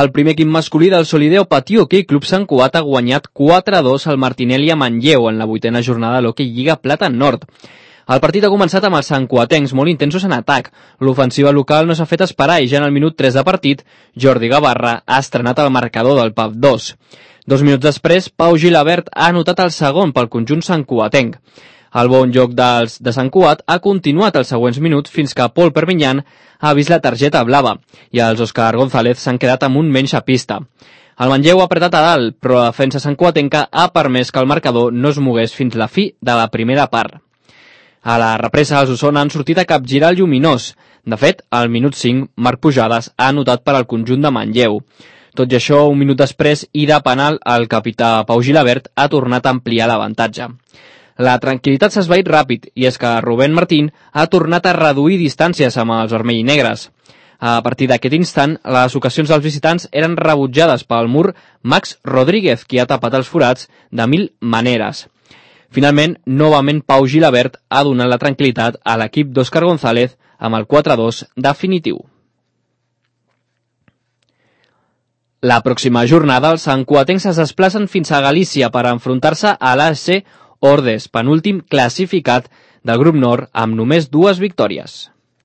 El primer equip masculí del Solideo Patí Hoquei Club Sant Cugat ha guanyat 4-2 al Martinelli a Manlleu en la 8a jornada de l'Hoquei Lliga Plata Nord. El partit ha començat amb els santcuatencs molt intensos en atac. L'ofensiva local no s'ha fet esperar i ja en el minut 3 de partit, Jordi Gavarra ha estrenat el marcador del PAF 2. 2 minuts després, Pau Gilabert ha anotat el segon pel conjunt santcuatenc. El bon joc de Sant Cugat ha continuat els següents minuts fins que Pol Perpinyan ha vist la targeta blava i els Òscar González s'han quedat amb un menys a pista. El Manlleu ha apretat a dalt, però la defensa santcuatenca ha permès que el marcador no es mogués fins la fi de la primera part. A la represa, els Osona han sortit a capgirar el lluminós. De fet, al minut 5, Marc Pujades ha anotat per al conjunt de Manlleu. Tot i això, un minut després, i de penal, el capità Pau Gilabert ha tornat a ampliar l'avantatge. La tranquil·litat s'ha esvaït ràpid, i és que Rubén Martín ha tornat a reduir distàncies amb els vermell i negres. A partir d'aquest instant, les ocasions dels visitants eren rebutjades pel mur Max Rodríguez, qui ha tapat els forats de 1000 maneres. Finalment, novament Pau Gilabert ha donat la tranquil·litat a l'equip d'Òscar González amb el 4-2 definitiu. La pròxima jornada, els santcuatencs es desplacen fins a Galícia per enfrontar-se a l'ASC Ordes, penúltim classificat del grup nord amb només 2 victòries.